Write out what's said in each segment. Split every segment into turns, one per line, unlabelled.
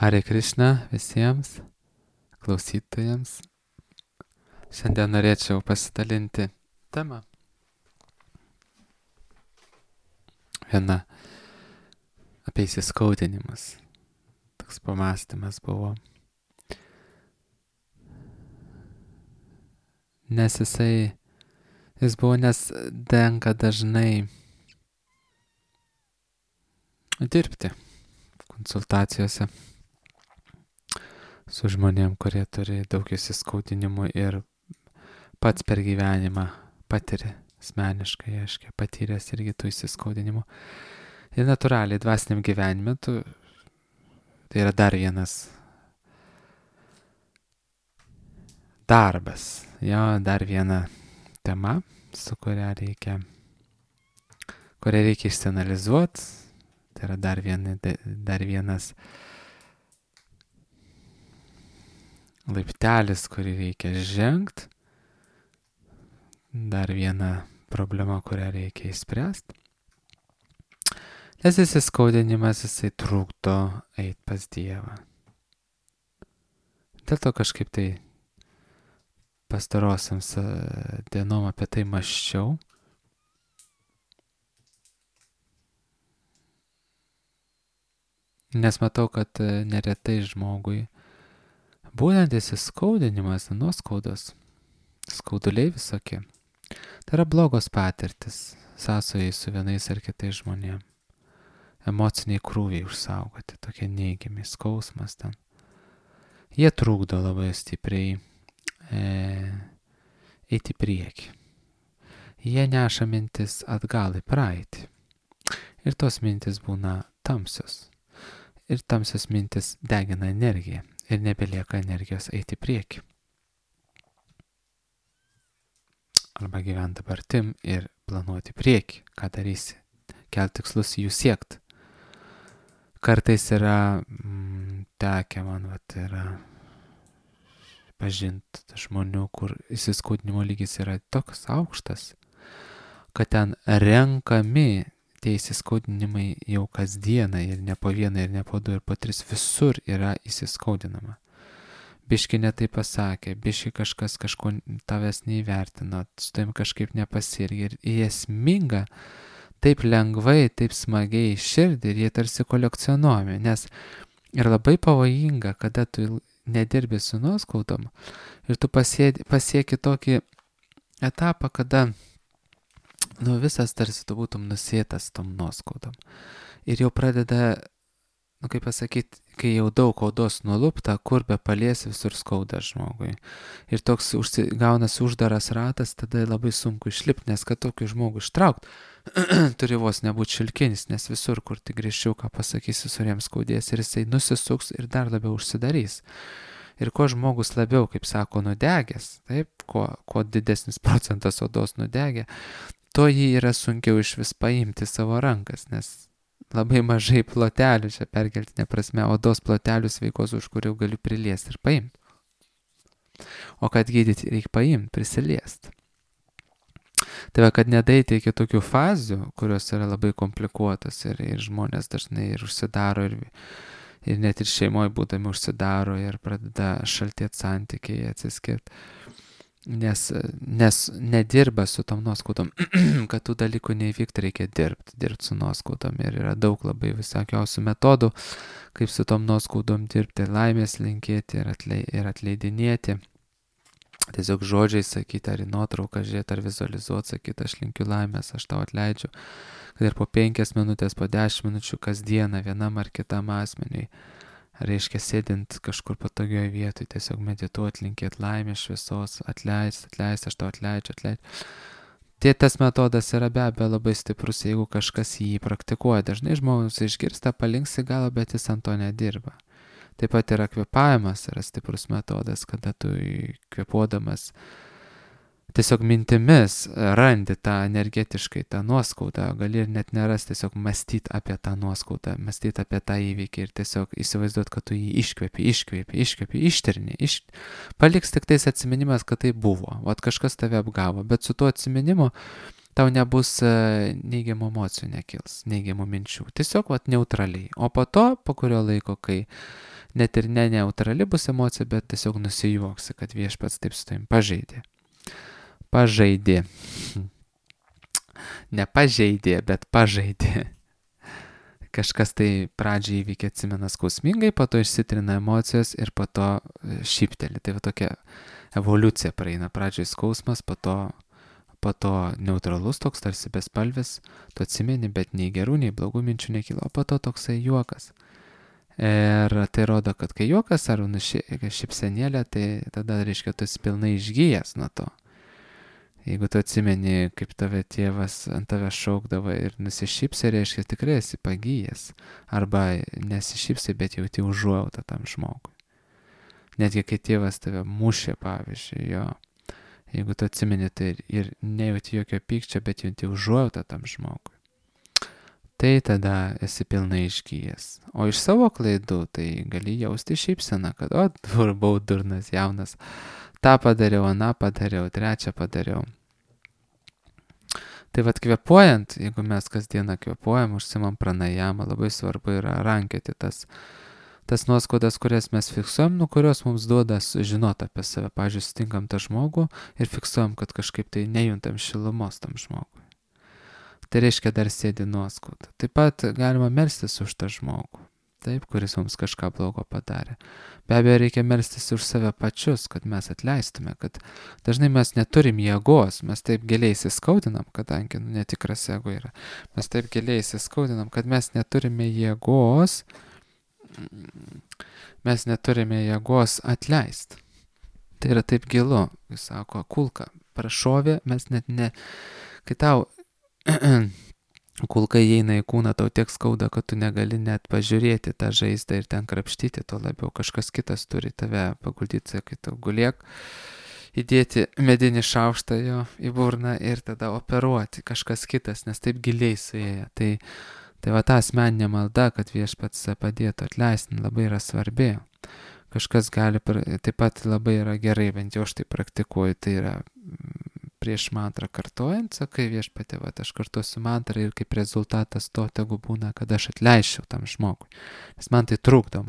Hare Krishna visiems klausytojams. Šiandien norėčiau pasidalinti temą. Viena apie įsiskaudinimus. Toks pamąstymas buvo. Nes jis buvo, nes tenka dažnai dirbti konsultacijose su žmonėm, kurie turi daug įsiskaudinimų ir pats per gyvenimą patiri asmeniškai, aiškiai, patyręs irgi tų įsiskaudinimų. Ir natūraliai dvasiniam gyvenime tai yra dar vienas darbas, dar viena tema, su kuria reikia išsianalizuoti. Tai yra dar vienas laiptelis, kurį reikia žengti. Dar viena problema, kurią reikia išspręsti. Nes įsiskaudinimas, jisai trukdo eiti pas Dievą. Dėl to kažkaip tai pastarosiams dienom apie tai mąsčiau. Nes matau, kad neretai žmogui būtent įsiskaudinimas, nuoskaudos, skauduliai visokie, tai yra blogos patirtis, sąsojai su vienais ar kitais žmonėm. Emociniai krūviai užsaugoti, tokie neigiami, skausmas ten. Jie trukdo labai stipriai eiti į priekį. Jie neša mintis atgal į praeitį. Ir tos mintis būna tamsios. Ir tamsios mintis degina energiją. Ir nebelieka energijos eiti į priekį. Arba gyventi dabartim ir planuoti į priekį, ką darysi, kelti tikslus jų siekti. Kartais yra tekę man, yra pažinti žmonių, kur įsiskaudinimo lygis yra toks aukštas, kad ten renkami tie įsiskaudinimai jau kasdieną ir ne po vieną, ir ne po du, ir po tris, visur yra įsiskaudinama. Biški netai pasakė, biški kažkas kažko tavęs neįvertino, su tavim kažkaip nepasirgė ir esminga taip lengvai, taip smagiai širdį ir jie tarsi kolekcionuojami, nes ir labai pavojinga, kada tu nedirbi su nuoskaudom ir tu pasieki tokį etapą, kada visas tarsi tu būtum nusėtas tom nuoskaudom. Ir jau pradeda, kaip pasakyti, kai jau daug odos nulupta, kur be paliesi, visur skauda žmogui. Ir toks gaunas uždaras ratas, tada labai sunku išlipti, nes kad tokį žmogų ištraukti, turi vos nebūti šilkinis, nes visur, kur tik grįžčiau, ką pasakysi, visur jam skaudės ir jisai nusisuks ir dar labiau užsidarys. Ir kuo žmogus labiau, kaip sako, nudegęs, taip, kuo didesnis procentas odos nudegė, to jį yra sunkiau iš vis paimti savo rankas, nes labai mažai plotelių, čia perkeltinė prasme, odos plotelių sveikos, už kurių galiu priliesti ir paimti. O kad gydyti reikia paimti, prisiliesti. Tai va, kad nedaeiti iki tokių fazių, kurios yra labai komplikuotas ir žmonės dažnai ir užsidaro ir net ir šeimoje būdami užsidaro ir pradeda šaltėti santykiai, atsiskirti. Nes nedirba su tom nuoskaudom, kad tų dalykų neįvykti, reikia dirbti su nuoskaudom ir yra daug labai visokiausių metodų, kaip su tom nuoskaudom dirbti, laimės linkėti ir atleidinėti, tiesiog žodžiai sakyti, ar į nuotrauką žiūrėti, ar vizualizuoti, sakyti, aš linkiu laimės, aš tau atleidžiu, kad ir po 5 minutės, po 10 minučių kasdieną vienam ar kitam asmeniui, reiškia sėdint kažkur patogioje vietoje, tiesiog medituoti, linkėti laimės, šviesos, atleist, aš tau atleidžiu. Tas metodas yra be abejo labai stiprus, jeigu kažkas jį praktikuoja. Dažnai žmogus išgirsta, palinksi galą, bet jis ant to nedirba. Taip pat yra kvėpavimas, yra stiprus metodas, kada tu kvėpuodamas tiesiog mintimis randi tą energetiškai, tą nuoskaudą, gali ir net neras, tiesiog mąstyti apie tą nuoskaudą, mąstyti apie tą įvykį ir tiesiog įsivaizduoti, kad tu jį iškvepi, ištirni, paliks tik tais atsiminimas, kad tai buvo, kažkas tave apgavo, bet su tuo atsiminimu tau nebus neigiamų emocijų nekils, neigiamų minčių, tiesiog neutraliai, o po kurio laiko, kai net ir neutrali bus emocija, bet tiesiog nusijuoksi, kad viešpats taip su tavim pažaidė. Ne pažeidė, bet pažaidė. Kažkas tai pradžiai įvykė, atsimena skausmingai, po to išsitrina emocijos ir po to šypteli. Tai va tokia evoliucija praeina. Pradžiai skausmas, po to neutralus toks, tarsi bespalvis, tu atsimeni, bet nei gerų, nei blogų minčių nekyla, o po to toksai juokas. Ir tai rodo, kad kai juokas ar šypsenėlė, tai tada reiškia, tu esi pilnai išgyjęs nuo to. Jeigu tu atsimeni, kaip tave tėvas ant tave šaukdavo ir nusišypsai, reiškia, tikrai esi pagyjęs. Arba nesišypsai, bet jauti užuojautą tam žmogui. Netgi kai tėvas tave mušė, pavyzdžiui, jo. Jeigu tu atsimeni, tai ir nejauti jokio pykčio, bet jauti užuojautą tam žmogui. Tai tada esi pilnai išgyjęs. O iš savo klaidų, tai gali jausti šypseną, kad buvau durnas, jaunas. tą padariau, aną padariau, trečią padariau. Tai vat kvėpuojant, jeigu mes kasdieną kvėpuojam, užsimam pranajamą, labai svarbu yra rankioti tas nuoskaudas, kurias mes fiksuojam, kurios mums duoda žinoti apie save. Pavyzdžiui, sutinkam tą žmogų ir fiksuojam, kad kažkaip tai nejuntam šilumos tam žmogui. Tai reiškia, dar sėdi nuoskauda. Taip pat galima melstis už tą žmogų, taip, kuris mums kažką blogo padarė. Be abejo, reikia melstis už save pačius, kad mes atleistume, kad dažnai mes neturim jėgos, mes taip giliai įsiskaudinam, kadangi netikras ego yra. Mes taip giliai įsiskaudinam, kad mes neturime jėgos, atleisti. Tai yra taip gilu, jis sako, kulka, prašovė, mes net ne, kai tau kulka įeina į kūną, tau tiek skauda, kad tu negali net pažiūrėti tą žaizdą ir ten krapštyti, to labiau kažkas kitas turi tave paguldyti, kai tu guliek, įdėti medinį šaukštą jo į burną ir tada operuoti kažkas kitas, nes taip giliai suėję. Tai va ta asmeninė malda, kad viešpats padėtų atleisti, labai yra svarbi. Kažkas gali, taip pat labai yra gerai, bent jau aš tai praktikuoju, tai yra prieš mantrą kartojant, sakai viešpatie, va, aš kartuosiu mantrą ir kaip rezultatas to tegu būna, kad aš atleisčiau tam žmogui. Nes man tai trukdo,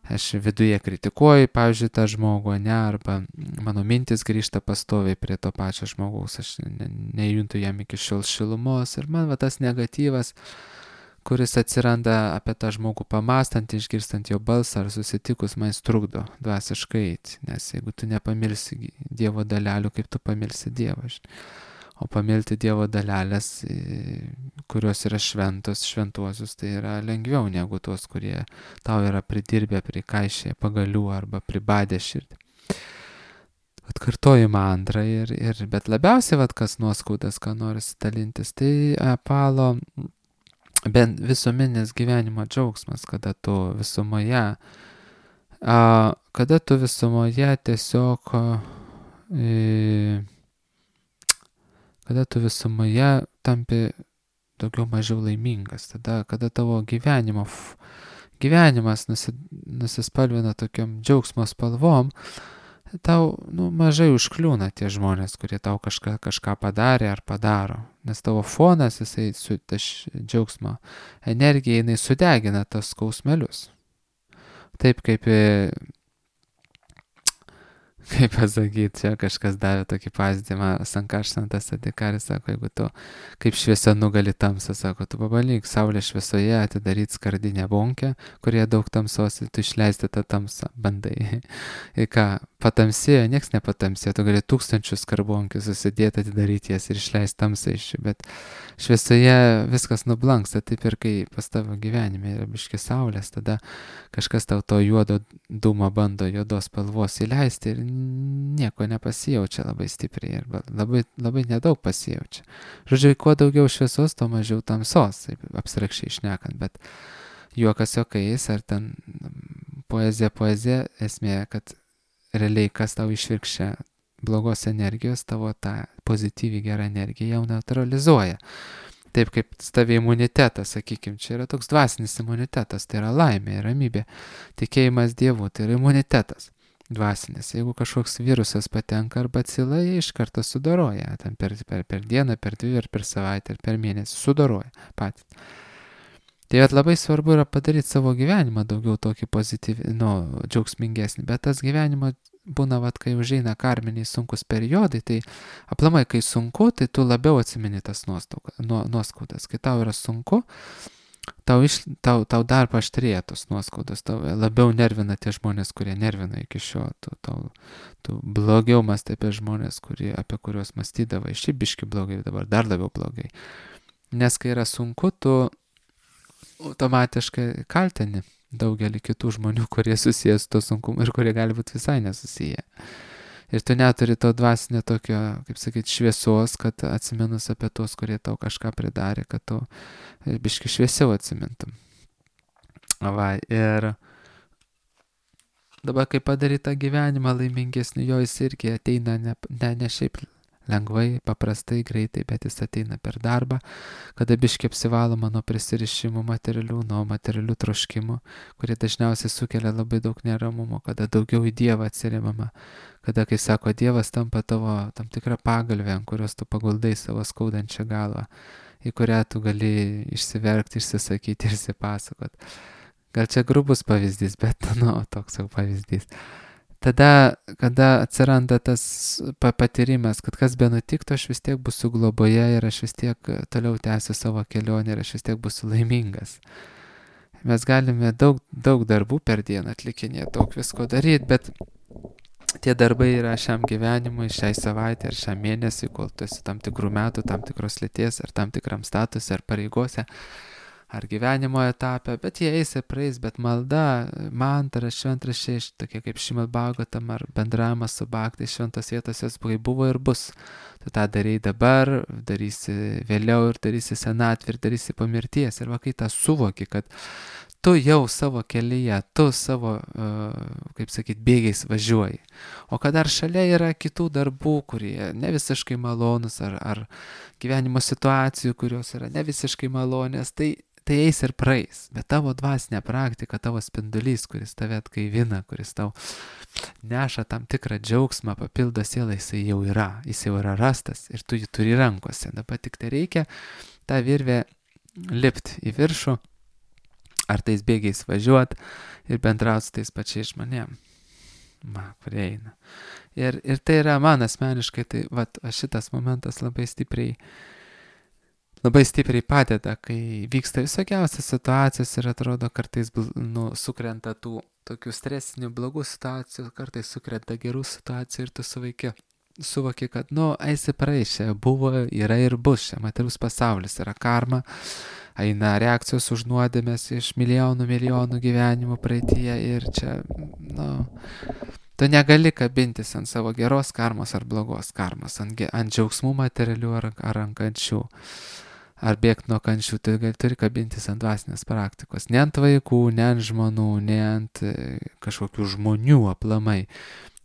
aš viduje kritikuoju, pavyzdžiui, tą žmogų, ne, arba mano mintis grįžta pastoviai prie to pačio žmogaus, aš nejuntu jam iki šiol šilumos ir man va tas negatyvas, kuris atsiranda apie tą žmogų pamastant, išgirstant jo balsą ar susitikus, man jis trukdo dvasiškai eiti, nes jeigu tu nepamilsi Dievo dalelių, kaip tu pamilsi Dievą. O pamilti Dievo dalelės, kurios yra šventuosius, tai yra lengviau negu tuos, kurie tau yra pridirbę, prikaišę pagalių arba pribadę širdį. Atkartoju mantrą, bet labiausiai, kas nuoskaudas, ką norisi dalintis, tai apalo bent visuomenės gyvenimo džiaugsmas, kada tu visumoje tampi daugiau mažiau laimingas, kada tavo gyvenimas nusispalvina tokiom džiaugsmo spalvom, tau mažai užkliūna tie žmonės, kurie tau kažką padarė ar padaro, nes tavo fonas, jisai su džiaugsmo energija, jinai sudegina tas skausmelius. Taip kaip pasakyti, čia kažkas davė tokį pavyzdį, Sankaršantas Adikaris sako, jeigu tu kaip šviesa nugali tamsą, sako, tu pabandyk saulės šviesoje atidaryti skardinę bonkę, kurioje daug tamsos, tu išleisti tą tamsą, bandai. Ir ką, patamsėjo, nieks nepatamsėjo, tu gali 1000 skarbonkių susidėti, atidaryti jas ir išleisti tamsą iš jų, bet šviesoje viskas nublanksta, taip ir kai pas tavo gyvenime yra biški saulės, tada kažkas tau to juodo dūmo bando juodos spalvos įleisti ir nieko nepasijaučia labai stipriai, arba labai nedaug pasijaučia. Žodžiu, kuo daugiau šviesos, tuo mažiau tamsos, taip abstrakčiai šnekant, bet juokas juokais, ar ten poezija, esmė, kad realiai kas tau išvirkščia blogos energijos, tavo tą pozityviai gerą energiją jau neutralizuoja. Taip kaip tavi imunitetas, sakykime, čia yra toks dvasinis imunitetas, tai yra laimė, ramybė, tikėjimas Dievu, tai yra imunitetas dvasinis. Jeigu kažkoks virusas patenka ar bacila, jie iš karto sudoroja, ten per dieną, per 2 ar per savaitę, ar per mėnesį sudoroja patys. Tai vat labai svarbu yra padaryti savo gyvenimą daugiau tokį pozityvį, džiaugsmingesnį, bet tas gyvenimas būna, vat, kai užeina karminiai sunkus periodai, tai aplamai, kai sunku, tai tu labiau atsimeni tas nuoskaudas. Kai tau yra sunku, tau dar paaštrėja tos nuoskaudos, tau labiau nervina tie žmonės, kurie nervina iki šio, tu blogiau mąstai apie žmonės, apie kuriuos mąstydavai, šiaip biški blogai, dabar dar labiau blogai. Nes kai yra sunku, tu automatiškai kaltini daugelį kitų žmonių, kurie susijęs su to sunkumu ir kurie gali būti visai nesusiję. Ir tu neturi to dvasinio tokio, kaip sakyti, šviesos, kad atsimenus apie tos, kurie tau kažką pridarė, kad tu biški šviesiau atsimintum. Va, ir dabar, kai padaryt tą gyvenimą laimingesnį, jo jis irgi ateina ne šiaip lengvai, paprastai, greitai, bet jis ateina per darbą, kada biški apsivaloma nuo prisirišimų materialių, nuo materialių troškimų, kurie dažniausiai sukelia labai daug neramumo, kada daugiau į Dievą atsiremama, kada, kai sako, Dievas tampa tavo tam tikrą pagalvę, ant kurios tu paguldai savo skaudančią galvą, į kurią tu gali išsiverkti, išsisakyti ir išsipasakot. Gal čia grubus pavyzdys, bet, toks jau pavyzdys. Tada, kada atsiranda tas patyrimas, kad kas be nutiktų, aš vis tiek būsiu globoje ir aš vis tiek toliau tęsiu savo kelionę ir aš vis tiek būsiu laimingas. Mes galime daug darbų per dieną atlikinėti, daug visko daryti, bet tie darbai yra šiam gyvenimui, šiai savaitė ar šiam mėnesiui, kol tu esi tam tikrų metų, tam tikros lyties ar tam tikram statusui ar pareigose, ar gyvenimo etape, bet jie eis ir praeis, bet malda, mantra, šventraščiai, tokie kaip Šrimad Bhagavatam ar bendravimas su bhaktais šventos vietos, jos buvo ir bus. Tu tą darai dabar, darysi vėliau ir darysi senatvę ir darysi po mirties. Ir va, kai tą suvoki, kad tu jau savo kelyje, tu savo, kaip sakyt, bėgiais važiuoji. O kad dar šalia yra kitų darbų, kurie ne visiškai malonus, ar gyvenimo situacijų, kurios yra ne visiškai malonės, tai eis ir praeis, bet tavo dvasinė praktika, tavo spindulys, kuris tave atgaivina, kuris tau neša tam tikrą džiaugsmą, papildo sielą, jis jau yra rastas ir tu jį turi rankose. Dabar tik tai reikia tą virvę lipti į viršų, ar tais bėgiais važiuoti ir bendrauti su tais pačiais žmonėm. Kurie eina. Ir tai yra man asmeniškai, tai šitas momentas labai stipriai padeda, kai vyksta visokiausias situacijos ir atrodo kartais sukrenta tų tokių stresinių blogų situacijų, kartais sukrenta gerų situacijų ir tu suvoki, kad eisi praeis, čia buvo, yra ir bus, čia materialus pasaulis, yra karma, eina reakcijos už nuodėmes iš milijonų gyvenimų praeityje ir čia, tu negali kabintis ant savo geros karmos ar blogos karmos, ant džiaugsmų materialių ar ant kančių. Ar bėgti nuo kančių, tai turi kabintis ant dvasinės praktikos. Ne ant vaikų, ne ant žmonų, ne ant kažkokių žmonių aplamai,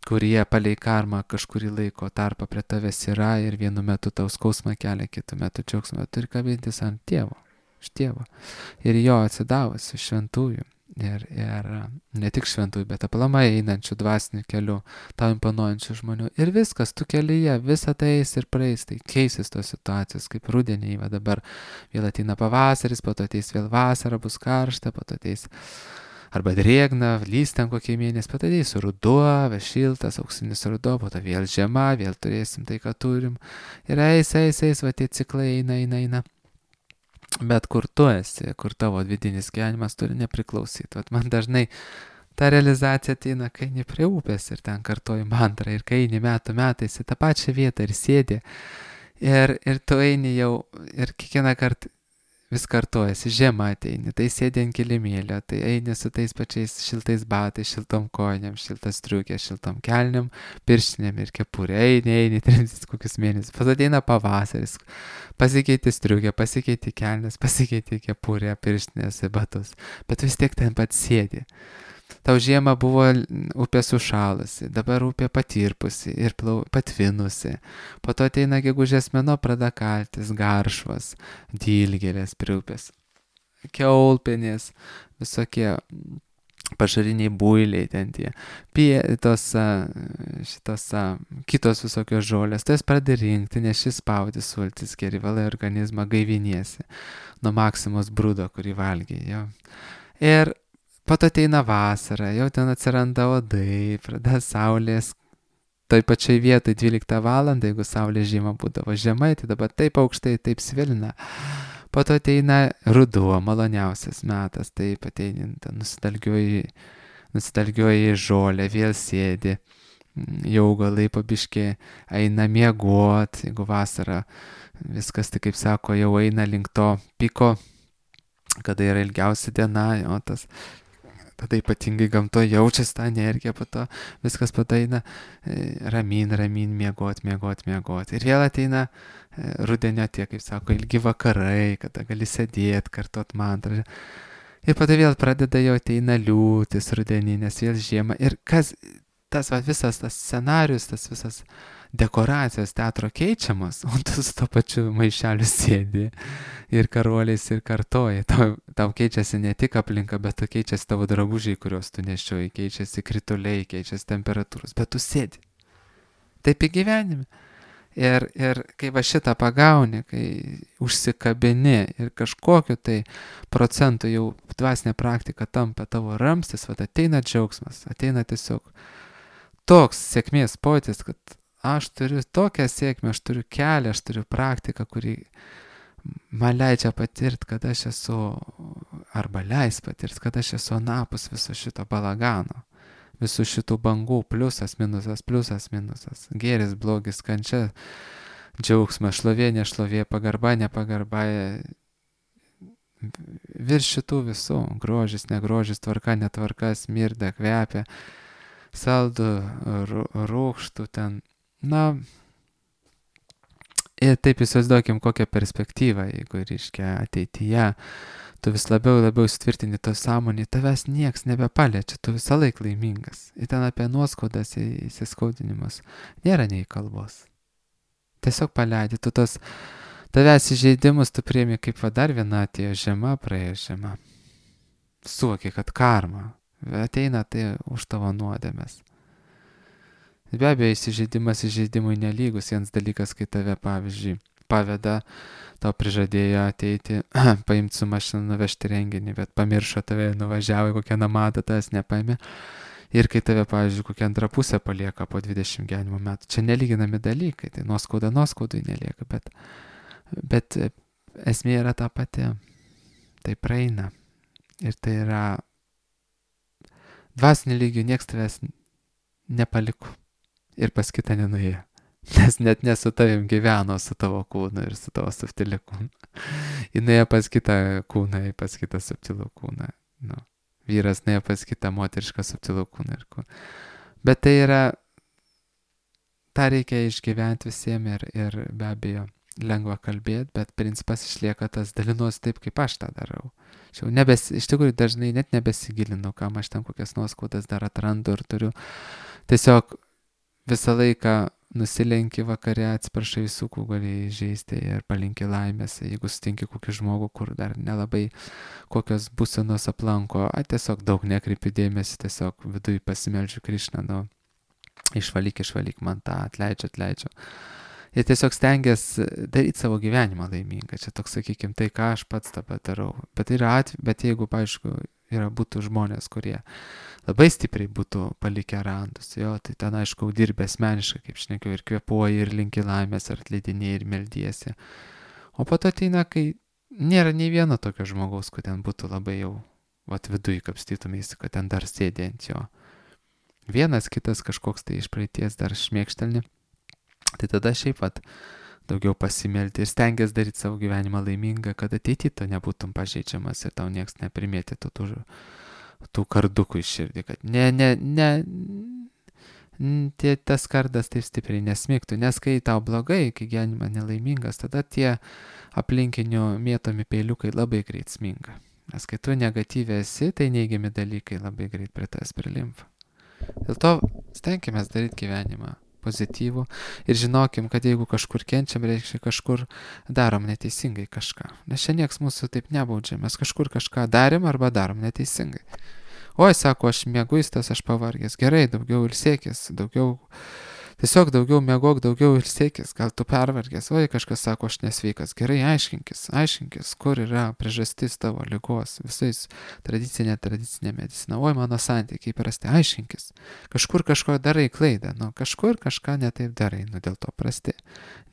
kurie palei karmą kažkurį laiko tarpą prie tavęs yra ir vienu metu tau skausmą kelia, kitu metu džiaugsmą. Turi kabintis ant tėvo, iš tėvo. Ir jo atsidavusių šventųjų. Ir ne tik šventųjų, bet aplamai einančių dvasinių kelių, tau imponuojančių žmonių. Ir viskas, tu kelyje, visa tai eis ir praeis, tai keisis tos situacijos, kaip rudenį, dabar vėl ateina pavasaris, po to ateis vėl vasara, bus karšta, po to ateis arba drėgna, lys ten kokie mėnesį, po to ateis ruduo, šiltas, auksinis ruduo, po to vėl žiema, vėl turėsim tai, ką turim. Ir eis, va tie ciklai eina. Bet kur tu esi, kur tavo vidinis gyvenimas turi nepriklausyti. Vat man dažnai ta realizacija ateina, kai eini prie upės ir ten kartoji mantrą, ir kai eini metais į tą pačią vietą ir sėdi, ir tu eini jau, ir kiekvieną kartą vis kartojasi, žiema ateini, tai sėdi ant kilimėlio, tai eini su tais pačiais šiltais batais, šiltom kojinėm, šiltas striukė, šiltom kelniam, pirštinėm ir kepurė, eini, 3 kokius mėnesius, pas ateina pavasaris, pasikeiti striukė, pasikeiti kelnes, pasikeiti kepurė, pirštinės ir batus, bet vis tiek ten pat sėdi. Tau žiemą buvo upė sušalusi, dabar upė patirpusi ir patvinusi. Po to ateina gegužės mėnuo, pradeda kaltis, garšvas, dilgėlės prie upės, kiaulpienės, visokie pašariniai builiai, ten tie šitos kitos visokios žolės, tas pradedi rinkti, neši spaudi sultis, geri valai organizmą, gaiviniesi nuo maksimos brūdo, kurį valgiai. Jo. Ir po to ateina vasara, jau ten atsiranda odai, pradeda saulės. Toj pačiai vietoj 12 valandą, jeigu saulė žiema būdavo žemai, tai dabar taip aukštai, taip svilina. Po to ateina ruduo, maloniausias metas, taip ateini, nusidalgioji žolę, vėl sėdi, jau augalai pabiški eina miegot, jeigu vasara viskas, tai kaip sako, jau eina link to piko, kada yra ilgiausia diena, o tas tada ypatingai gamtoje jaučiasi tą energiją, po to viskas padaina ramin, miegot. Ir vėl ateina rudenio tie, kaip sako, ilgi vakarai, kada gali sėdėti, kartot mantrą. Ir po to vėl pradeda jau ateina liūtis rudeninės, vėl žiema. Ir kas, visas tas scenarius, tas visas dekoracijos teatro keičiamas, o tu su to pačiu maišeliu sėdi ir karoliais ir kartoji. Tau keičiasi ne tik aplinka, bet keičiasi tavo drabužiai, kuriuos tu nešioji, keičiasi krituliai, keičiasi temperatūros, bet tu sėdi. Taip į gyvenime. Ir kai va šitą pagauni, kai užsikabini ir kažkokiu tai procentu jau dvasinė praktika tampa tavo ramstis, va ateina džiaugsmas, ateina tiesiog toks sėkmės pojūtis, kad aš turiu tokią sėkmę, aš turiu kelią, aš turiu praktiką, kuri man leidžia patirti, kad aš esu, arba leis patirti, kad aš esu anapus viso šito balagano, visų šitų bangų, pliusas, minusas, gėris, blogis, kančia, džiaugsmas, šlovė, nešlovė, pagarba, nepagarba, virš šitų visų, grožis, negrožis, tvarka, netvarka, smirda, kvepia, saldu, rūgštų ten. Na, ir taip įsivaizduokim kokią perspektyvą, jeigu reiškia ateityje, tu vis labiau įsitvirtini to sąmonį, tavęs nieks nebepaliečia, tu visą laiką laimingas. Ir ten apie nuoskaudas, įsiskaudinimus nėra nei kalbos. Tiesiog paleidi, tu tavęs įžeidimus tu priimi kaip va dar viena atėjo žiema, praėjo žiema. Suvoki, kad karma ateina tai už tavo nuodėmes. Be abejo, įsižeidimui nelygus. Vienas dalykas, kai tave, pavyzdžiui, paveda, tau prižadėjo ateiti, paimti su mašina, nuvežti renginį, bet pamiršo tave, nuvažiavo į kokią namadą, tas nepaėmė. Ir kai tave, pavyzdžiui, kokią antrą pusę palieka po 20 gyvenimo metų. Čia nelyginami dalykai, tai nuoskaudai nelieka, bet esmė yra ta pati. Tai praeina. Ir tai yra dvasinį lygių, nieks tavęs nepaliko. Ir pas kitą nenuėjo. Nes net ne su tavim gyveno, su tavo kūnu ir su tavo subtiliu kūnu. Jis nuėjo pas kitą kūną, pas kitą subtilų kūną. Nu, vyras nuėjo pas kitą moterišką subtilų kūną ir kūną. Bet tai yra, tą reikia išgyventi visiems ir be abejo lengva kalbėti, bet principas išlieka tas, dalinuosi taip, kaip aš tą darau. Iš tikrųjų dažnai net nebesigilinu, kam aš ten kokias nuoskaudas dar atrandu ir turiu. Tiesiog visą laiką nusilenki vakare, atsiprašai visų, kuo gali įžeisti ir palinki laimės, jeigu sutinki kokį žmogų, kur dar nelabai kokios būsenos aplanko, tiesiog daug nekreipi dėmesį, tiesiog viduj pasimeldžiu Krišną, išvalyk man tą, atleidžiu. Ir tiesiog stengiasi daryti savo gyvenimą laimingą. Čia toks, sakykime, tai, ką aš pats tą padarau. Bet jeigu, aišku, būtų žmonės, kurie labai stipriai būtų palikę randus, tai ten, aišku, dirbė asmeniškai, kaip šnekiu, ir kvėpuoji, ir linki laimės, ar atleidinėjai, ir meldiesi. O po to ateina, kai nėra nei vieno tokio žmogaus, kur ten būtų labai jau, viduj kapstytumėsi, kad ten dar sėdė ant jo. Vienas kitas kažkoks tai iš praeities dar šmėkštelni. Tai tada šiaip daugiau pasimelti ir stengiasi daryti savo gyvenimą laimingą, kad ateityje tu nebūtum pažeidžiamas ir tau nieks neprimėtytų tų kardukų iš širdį, kad tas kardas taip stipriai nesmigtų, nes kai tau blogai, kai gyvenimas nelaimingas, tada tie aplinkinių mėtomi peiliukai labai greit sminga. Nes kai tu negatyviai esi, tai neigiami dalykai labai greit prie tavęs prilimpa. Dėl to stenkimės daryti gyvenimą pozityvų ir žinokim, kad jeigu kažkur kenčiam, reiškia kažkur darom neteisingai kažką. Nes čia nieks mūsų taip nebaudžia, mes kažkur kažką darėm arba darom neteisingai. Oi, sako, aš mieguistas, aš pavargęs. Gerai, daugiau ilsėkis, tiesiog daugiau miegok, daugiau ilsėkis, gal tu pervargęs. Oi, kažkas sako, aš nesveikas. Gerai, aiškinkis, kur yra priežastis tavo ligos. Visais tradicinė medicina. Oi, mano santykiai prasti, aiškinkis. Kažkur kažko darai klaidą, kažkur kažką netaip darai, dėl to prasti.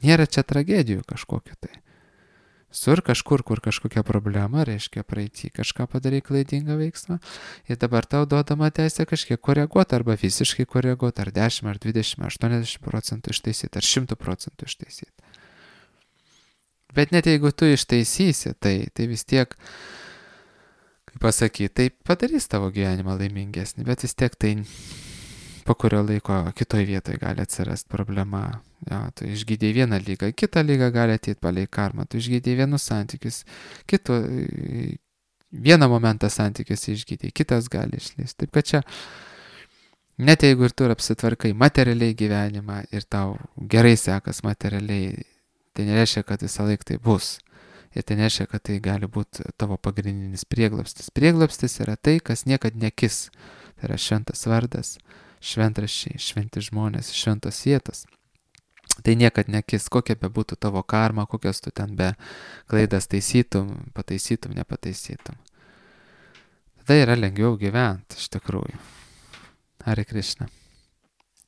Nėra čia tragedijų kažkokiu tai. Sur kažkur, kur kažkokia problema, reiškia praeitį kažką padarai klaidingą veiksmą ir dabar tau duodama teisė kažkiek koreguoti arba visiškai koreguoti, ar 10, ar 20, ar 80% ištaisyti, ar 100% ištaisyti. Bet net jeigu tu ištaisysi, tai vis tiek, kaip pasakyti, tai padarys tavo gyvenimą laimingesnį, bet vis tiek tai po kurio laiko kitoj vietoje gali atsirasti problema. Jo, tu išgydėjai vieną lygą, kitą lygą gali ateiti palei karmą, tu išgydėjai vienus santykius, vieną momentą santykius išgydėjai, kitas gali išlysti. Taip kad čia, net jeigu ir tu apsitvarkai materialiai gyvenimą ir tau gerai sekas materialiai, tai nereiškia, kad visą laiką tai bus. Ir tai nereiškia, kad tai gali būti tavo pagrindinis prieglobstis. Prieglobstis yra tai, kas niekad nekis. Tai yra šventas vardas, šventraščiai, šventi žmonės, šventos vietos. Tai niekad nekis, kokia be būtų tavo karma, kokias tu ten be klaidas taisytum, nepataisytum. Tada yra lengviau gyventi, iš tikrųjų. Hare Krishna.